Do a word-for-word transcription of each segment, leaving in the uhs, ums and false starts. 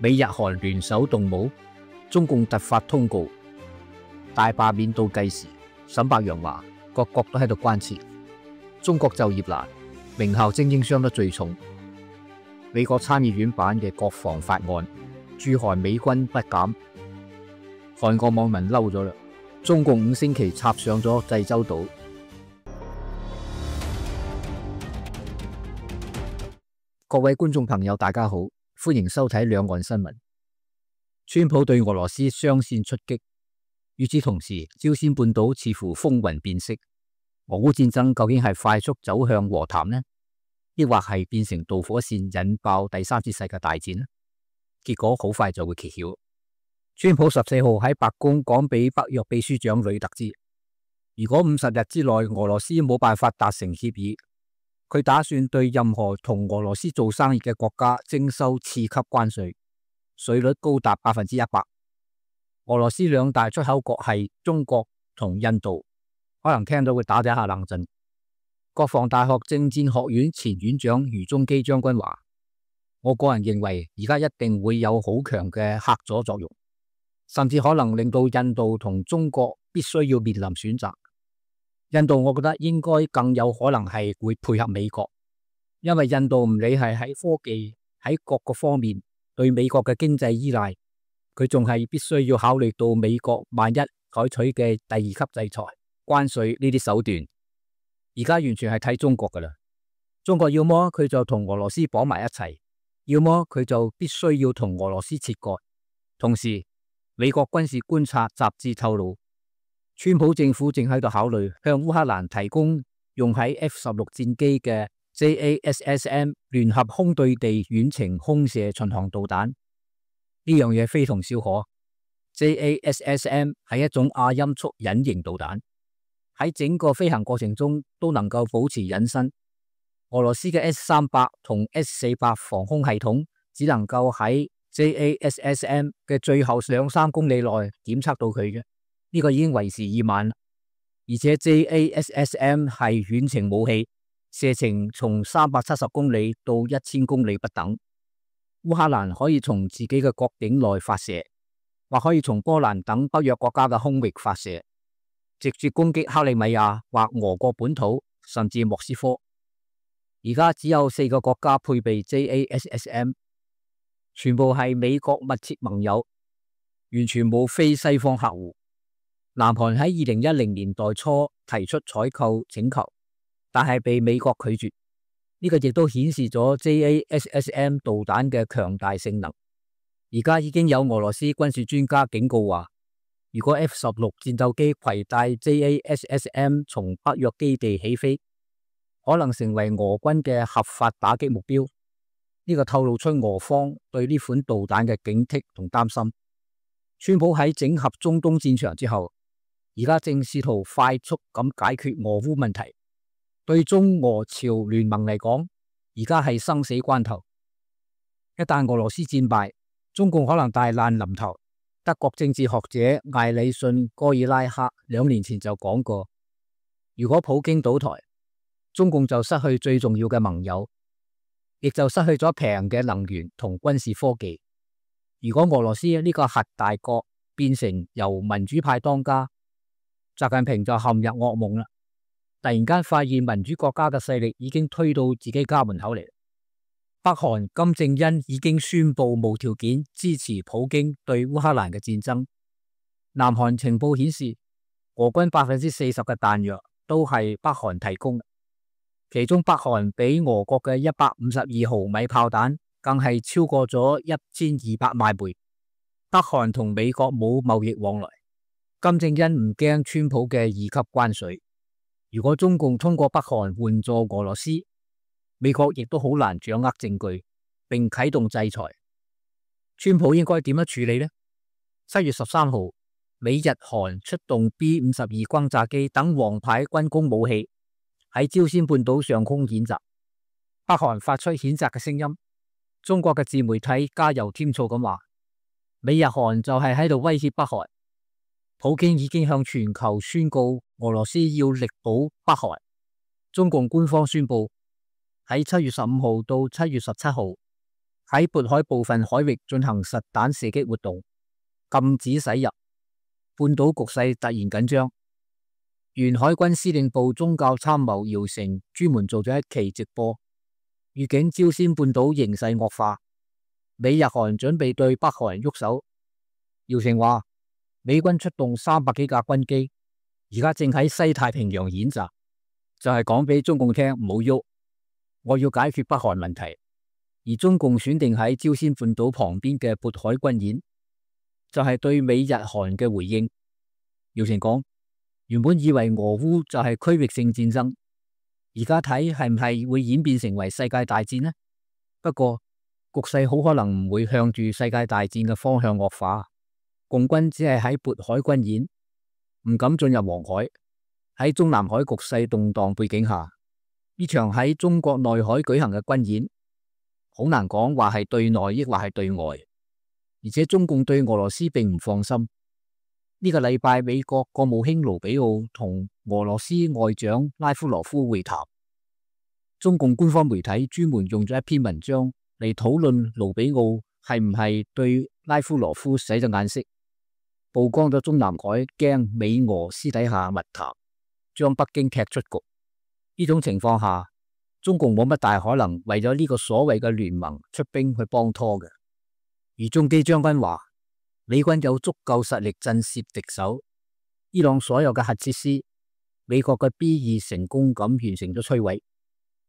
美日韓聯手動武，中共突發通告，大罷免倒計時。沈伯洋話：各國都喺度關切，中國就業難，名校精英傷得最重。美國參議院版嘅國防法案，駐韓美軍不減。韓國網民嬲咗啦，中共五星旗插上咗濟州島。各位觀眾朋友，大家好，歡迎收睇兩岸新聞。川普對俄羅斯雙線出擊，與此同時，朝鮮半島似乎風雲變色。俄烏戰爭究竟係快速走向和談呢，抑或係變成導火線引爆第三次世界大戰呢？結果好快就會揭曉。川普十四號喺白宮講俾北約秘書長呂特知，如果五十日之內俄羅斯冇辦法達成協議，佢打算對任何同俄羅斯做生意嘅國家徵收次級關稅，稅率高達百分之一百。俄羅斯兩大出口國係中國同印度，可能聽到會打咗一下冷震。國防大學政戰學院前院長余宗基將軍話：我個人認為而家一定會有好強嘅嚇阻作用，甚至可能令到印度同中國必須要面臨選擇。印度我覺得應該更有可能係會配合美國，因為印度唔理係喺科技喺各個方面對美國嘅經濟依賴，佢仲係必須要考慮到美國萬一採取嘅第二級制裁、關稅呢啲手段。而家完全係睇中國噶啦，中國要麼佢就同俄羅斯綁埋一齊，要麼佢就必須要同俄羅斯切割。同時，美國軍事觀察雜誌透露，川普政府正喺度考慮向烏克蘭提供用喺 F 十六戰機嘅 J A S S M 聯合空對地遠程空射巡航導彈。呢樣嘢非同小可。J A S S M 係一種亞音速隱形導彈，喺整個飛行過程中都能夠保持隱身。俄羅斯嘅 S 三百同 S 四百防空系統只能夠喺 J A S S M 嘅最後兩三公里內檢測到佢嘅。呢個已經為時已晚，而且 J A S S M 係遠程武器，射程從三百七十公里到一千公里不等。烏克蘭可以從自己嘅國境內發射，或可以從波蘭等北約國家嘅空域發射，直接攻擊克里米亞或俄國本土，甚至莫斯科。而家只有四個國家配備 J A S S M， 全部係美國密切盟友，完全冇非西方客戶。南韓喺二零一零年代初提出採購請求，但係被美國拒絕。呢個亦都顯示咗 J A S S M 導彈嘅強大性能。而家已經有俄羅斯軍事專家警告話，如果 F 十六戰鬥機攜帶 J A S S M 從北約基地起飛，可能成為俄軍嘅合法打擊目標。呢個透露出俄方對呢款導彈嘅警惕同擔心。川普喺整合中東戰場之後，而家正試圖快速咁解決俄烏問題。對中俄朝聯盟嚟講，而家係生死關頭。一旦俄羅斯戰敗，中共可能大難臨頭。德國政治學者艾里遜戈爾拉克兩年前就講過，如果普京倒台，中共就失去最重要嘅盟友，亦就失去咗平嘅能源同軍事科技。如果俄羅斯呢個核大國變成由民主派當家，習近平就陷入噩夢啦！突然間發現民主國家嘅勢力已經推到自己家門口嚟。北韓金正恩已經宣布無條件支持普京對烏克蘭嘅戰爭。南韓情報顯示，俄軍百分之四十嘅彈藥都係北韓提供，其中北韓俾俄國嘅一百五十二毫米炮彈更係超過咗一千二百萬枚。北韓同美國冇貿易往來。金正恩唔驚川普嘅二級關稅，如果中共通過北韓援助俄羅斯，美國亦都好難掌握證據並啟動制裁。川普應該點樣處理呢？七月十三號，美日韓出動 B 五十二轟炸機等王牌軍工武器喺朝鮮半島上空演習，北韓發出譴責嘅聲音。中國嘅自媒體加油添醋咁話，美日韓就係喺度威脅北韓。普京已經向全球宣告俄羅斯要力保北韓。中共官方宣布喺七月十五號到七月十七號喺渤海部分海域進行實彈射擊活動，禁止駛入。半島局勢突然緊張，原海軍司令部宗教參謀姚成專門做咗一期直播，預警朝鮮半島形勢惡化，美日韓準備對北韓喐手。姚成話，美軍出動三百幾架軍機，而家正喺西太平洋演習，就係講俾中共聽唔好喐，我要解決北韓問題。而中共選定喺朝鮮半島旁邊嘅渤海軍演，就係對美日韓嘅回應。姚成講，原本以為俄烏就係區域性戰爭，而家睇係唔係會演變成為世界大戰呢？不過局勢好可能唔會向住世界大戰嘅方向惡化。共軍只係喺渤海軍演，唔敢進入黃海。喺中南海局勢動盪背景下，呢場喺中國內海舉行嘅軍演，好難講話係對內抑或係對外。而且中共對俄羅斯並唔放心。呢個禮拜，美國國務卿盧比奧同俄羅斯外長拉夫羅夫會談。中共官方媒體專門用咗一篇文章嚟討論盧比奧係唔係對拉夫羅夫使咗眼色，曝光咗中南海驚美俄私底下密談，將北京踢出局。呢種情況下，中共冇乜大可能為咗呢個所謂嘅聯盟出兵去幫拖嘅。而中基將軍話，美軍有足夠實力震懾敵手，伊朗所有嘅核設施，美國嘅 B 二成功咁完成咗摧毀，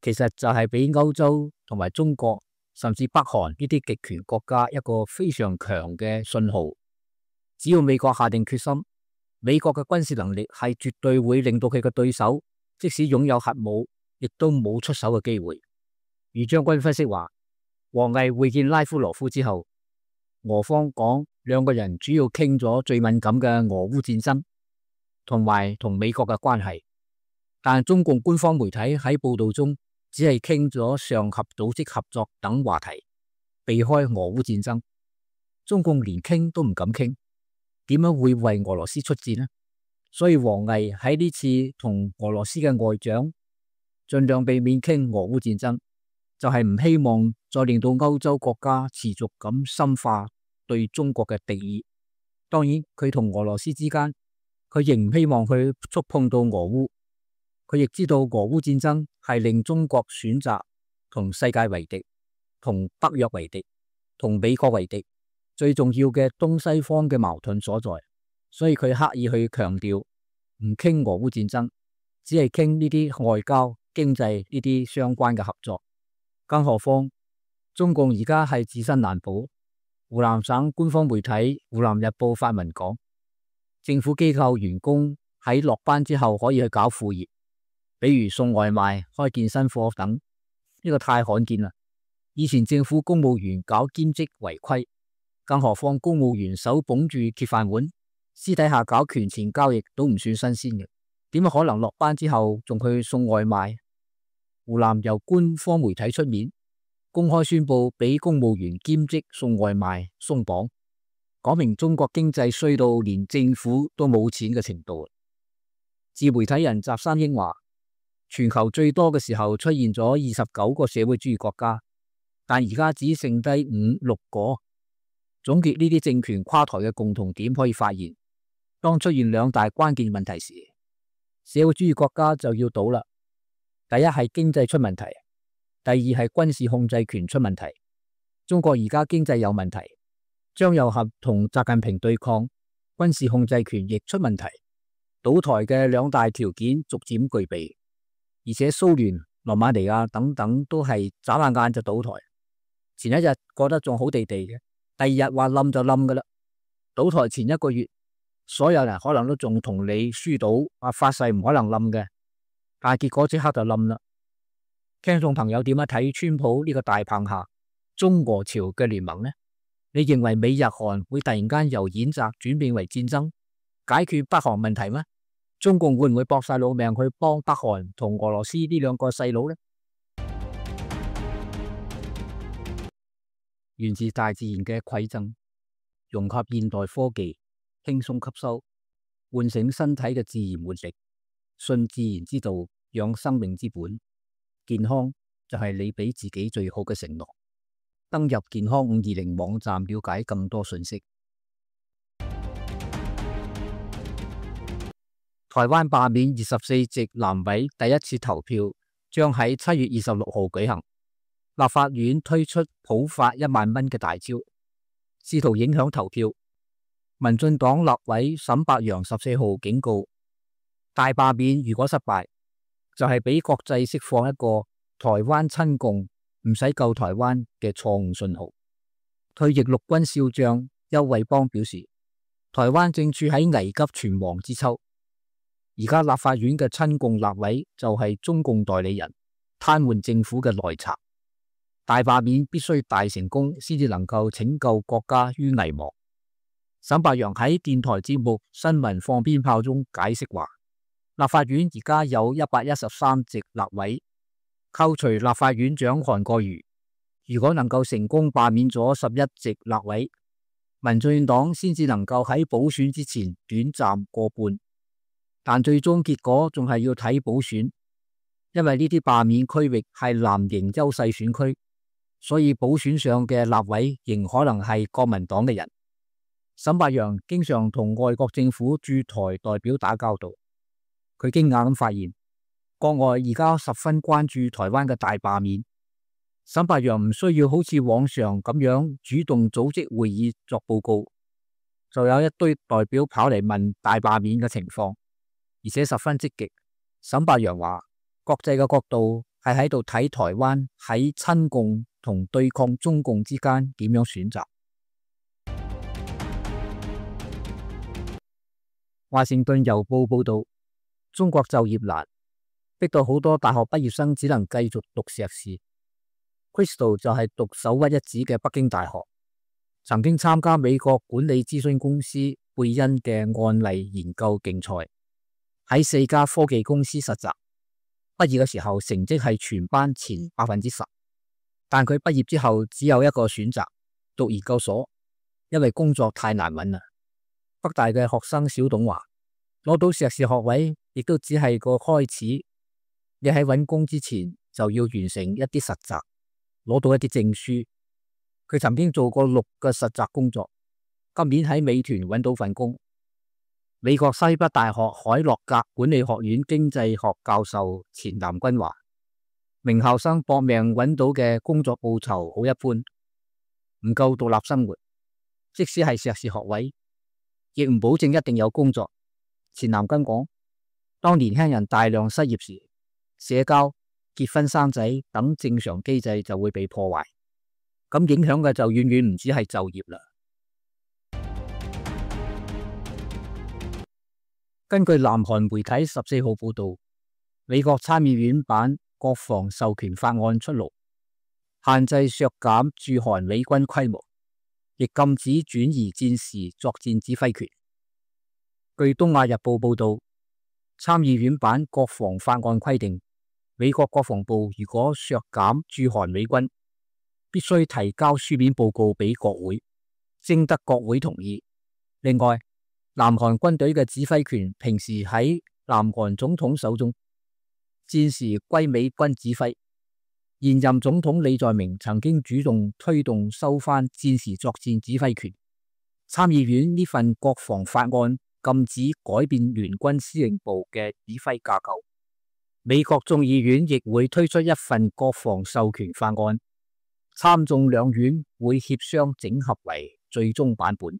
其實就係俾歐洲同埋中國甚至北韓呢啲極權國家一個非常強嘅信號。只要美國下定決心，美國嘅軍事能力係絕對會令到佢嘅對手即使擁有核武，亦都冇出手嘅機會。余將軍分析話，王毅會見拉夫羅夫之後，俄方講兩個人主要傾咗最敏感嘅俄烏戰爭同埋同美國嘅關係，但中共官方媒體喺報道中只係傾咗上合組織合作等話題，避開俄烏戰爭。中共連傾都唔敢傾，點樣會為俄羅斯出戰呢？所以王毅喺呢次同俄羅斯嘅外長盡量避免傾俄烏戰爭，就係唔希望再令到歐洲國家持續咁深化對中國嘅敵意。當然，佢同俄羅斯之間，佢仍唔希望去觸碰到俄烏。佢亦知道俄烏戰爭係令中國選擇同世界為敵，同北約為敵，同美國為敵，最重要嘅東西方嘅矛盾所在。所以佢刻意去強調唔傾俄烏戰爭，只係傾呢啲外交、經濟呢啲相關嘅合作。更何況中共而家係自身難保。湖南省官方媒體《湖南日報》發文講，政府機構員工喺落班之後可以去搞副業，比如送外賣、開健身課等。呢個太罕見啦！以前政府公務員搞兼職違規，更何況公務員手捧住鐵飯碗，私底下搞權錢交易都唔算新鮮嘅，點可能落班之後仲去送外賣？湖南由官方媒體出面公開宣布俾公務員兼職送外賣鬆綁，講明中國經濟衰到連政府都冇錢嘅程度。自媒體人翟山英話，全球最多嘅時候出現咗二十九個社會主義國家，但而家只剩低五六個。總結呢啲政權垮台嘅共同點，可以發現，當出現兩大關鍵問題時，社會主義國家就要倒啦。第一係經濟出問題，第二係軍事控制權出問題。中國而家經濟有問題，張又俠同習近平對抗，軍事控制權亦出問題，倒台嘅兩大條件逐漸具備，而且蘇聯、羅馬尼亞等等都係眨下眼就倒台。前一日過得仲好地地嘅，第二日話冧就冧噶啦。倒台前一個月，所有人可能都仲同你輸賭，話發誓唔可能冧嘅，但係結果即刻就冧啦。聽眾朋友點樣睇川普呢個大棒下中俄朝嘅聯盟呢？你認為美日韓會突然間由演習轉變為戰爭，解決北韓問題嗎？中共會唔會搏晒老命去幫北韓同俄羅斯呢兩個細佬呢？源自大自然嘅饋贈，融合現代科技，輕鬆吸收，喚醒身體嘅自然活力，信自然之道，養生命之本。健康就係你俾自己最好嘅承諾。登入健康五二零網站了解更多信息。台灣罷免二十四席南委第一次投票將喺七月二十六號舉行。立法院推出普發一萬蚊嘅大招，試圖影響投票。民進黨立委沈伯洋十四號警告，大罷免如果失敗，就係俾國際釋放一個台灣親共唔使救台灣嘅錯誤信號。退役陸軍少將邱偉邦表示，台灣正處喺危急存亡之秋。而家立法院嘅親共立委就係中共代理人，癱瘓政府嘅內賊。大罷免必須大成功，先至能夠拯救國家於危亡。沈伯洋喺電台節目《新聞放鞭炮》中解釋話，立法院而家有一百一十三席立委，扣除立法院長韓國瑜，如果能夠成功罷免咗十一席立委，民進黨先至能夠喺補選之前短暫過半。但最終結果仲係要睇補選，因為呢啲罷免區域係藍營優勢選區。所以補選上嘅立委仍可能係國民黨嘅人。沈伯洋經常同外國政府駐台代表打交道，佢驚訝咁發現，國外而家十分關注台灣嘅大罷免。沈伯洋唔需要好似往常咁樣主動組織會議作報告，就有一堆代表跑嚟問大罷免嘅情況，而且十分積極。沈伯洋話，國際嘅角度係喺度睇台灣喺親共同對抗中共之間點樣選擇。華盛頓郵報報道，中國就業難，逼到好多大學畢業生只能繼續讀碩士。Crystal 就係讀首屈一指嘅北京大學，曾經參加美國管理諮詢公司貝恩嘅案例研究競賽，喺四家科技公司實習。畢業嘅時候成績係全班前百分之十。但佢畢業之後只有一個選擇，讀研究所，因為工作太難揾啦。北大嘅學生小董話，攞到碩士學位亦都只係個開始，你喺揾工之前就要完成一啲實習，攞到一啲證書。佢曾經做過六個實習工作，今年喺美團揾到份工。美國西北大學海洛格管理學院經濟學教授錢南君話，名校生搏命揾到嘅工作報酬好一般，唔夠獨立生活。即使係碩士學位，亦唔保證一定有工作。錢南君講，當年輕人大量失業時，社交、結婚生仔等正常機制就會被破壞，咁影響嘅就遠遠唔止係就業啦。根據南韓媒體十四號報道，美國參議院版國防授權法案出爐，限制削減駐韓美軍規模，亦禁止轉移戰時作戰指揮權。據東亞日報報道，參議院版國防法案規定，美國國防部如果削減駐韓美軍，必須提交書面報告俾國會，徵得國會同意。另外，南韓軍隊嘅指揮權平時喺南韓總統手中，戰時歸美軍指揮。現任總統李在明曾經主動推動收返戰時作戰指揮權。參議院呢份國防法案禁止改變聯軍司令部嘅指揮架構。美國眾議院亦會推出一份國防授權法案，參眾兩院會協商整合為最終版本。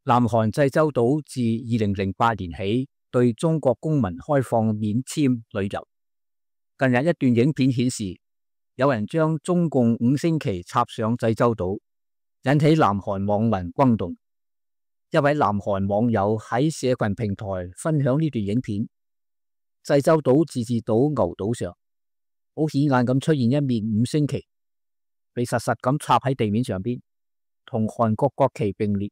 南韓濟州島自二零零八年起對中國公民開放免簽旅遊。近日一段影片顯示，有人將中共五星旗插上濟州島，引起南韓網民轟動。一位南韓網友喺社群平台分享呢段影片，濟州島自治島牛島上，好顯眼咁出現一面五星旗，被實實咁插喺地面上邊，同韓國國旗並列。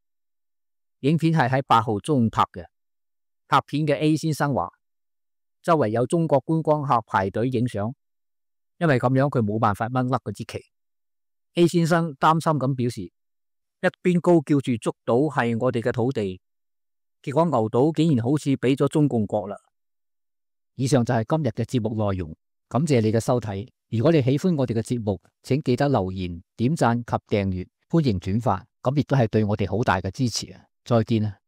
影片係喺八號中午拍嘅。拍片嘅 A 先生話，周圍有中國觀光客排隊影相，因為咁樣佢冇辦法掹甩嗰支旗。A 先生擔心咁表示，一邊高叫住竹島係我哋嘅土地，結果牛島竟然好似俾咗中共國啦。以上就係今日嘅節目內容，感謝你嘅收睇。如果你喜歡我哋嘅節目，請記得留言、點讚及訂閱，歡迎轉發，咁亦都係對我哋好大嘅支持啊！再見啊！